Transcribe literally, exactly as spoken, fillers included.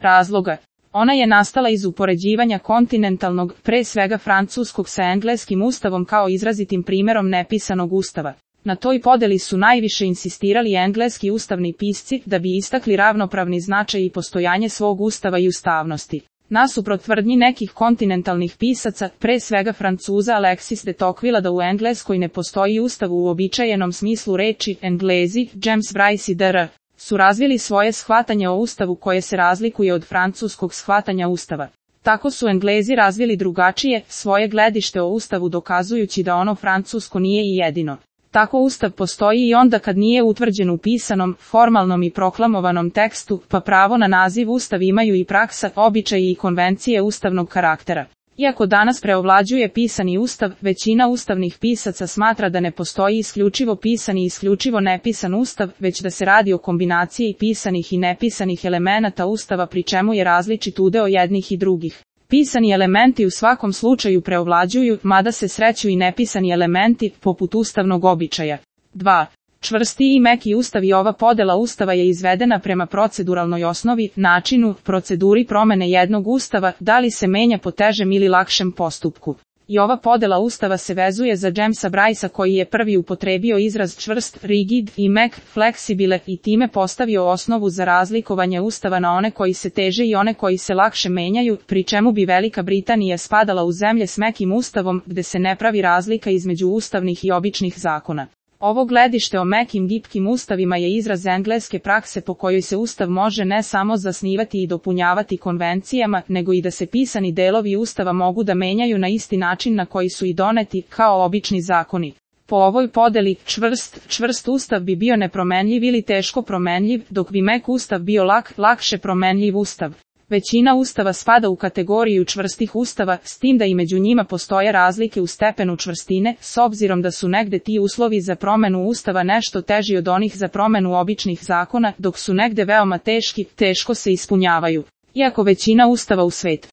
razloga. Ona je nastala iz upoređivanja kontinentalnog, pre svega francuskog sa engleskim ustavom kao izrazitim primjerom nepisanog ustava. Na toj podeli su najviše insistirali engleski ustavni pisci da bi istakli ravnopravni značaj i postojanje svog ustava i ustavnosti. Nasuprot tvrdnji nekih kontinentalnih pisaca, pre svega Francuza Alexis de Tocqueville da u Engleskoj ne postoji ustav u uobičajenom smislu reči, Englezi, James Bryce i dr. su razvili svoje shvatanje o ustavu koje se razlikuje od francuskog shvatanja ustava. Tako su Englezi razvili drugačije svoje gledište o ustavu dokazujući da ono francusko nije i jedino. Tako ustav postoji i onda kad nije utvrđen u pisanom, formalnom i proklamovanom tekstu, pa pravo na naziv ustav imaju i praksa, običaji i konvencije ustavnog karaktera. Iako danas preovlađuje pisani ustav, većina ustavnih pisaca smatra da ne postoji isključivo pisani i isključivo nepisan ustav, već da se radi o kombinaciji pisanih i nepisanih elemenata ustava pri čemu je različit udeo jednih i drugih. Pisani elementi u svakom slučaju preovlađuju, mada se sreću i nepisani elementi, poput ustavnog običaja. dva. Čvrsti i meki ustav i ova podela ustava je izvedena prema proceduralnoj osnovi, načinu, proceduri promene jednog ustava, da li se menja po težem ili lakšem postupku. I ova podela ustava se vezuje za Jamesa Brycea koji je prvi upotrebio izraz čvrst, rigid i mek, fleksibile i time postavio osnovu za razlikovanje ustava na one koji se teže i one koji se lakše menjaju, pri čemu bi Velika Britanija spadala u zemlje s mekim ustavom, gde se ne pravi razlika između ustavnih i običnih zakona. Ovo gledište o mekim gibkim ustavima je izraz engleske prakse po kojoj se ustav može ne samo zasnivati i dopunjavati konvencijama, nego i da se pisani delovi ustava mogu da menjaju na isti način na koji su i doneti, kao obični zakoni. Po ovoj podeli, čvrst, čvrst ustav bi bio nepromenljiv ili teško promenljiv, dok bi mek ustav bio lak, lakše promenljiv ustav. Većina ustava spada u kategoriju čvrstih ustava, s tim da i među njima postoje razlike u stepenu čvrstine, s obzirom da su negde ti uslovi za promenu ustava nešto teži od onih za promenu običnih zakona, dok su negde veoma teški, teško se ispunjavaju. Iako većina ustava u svetu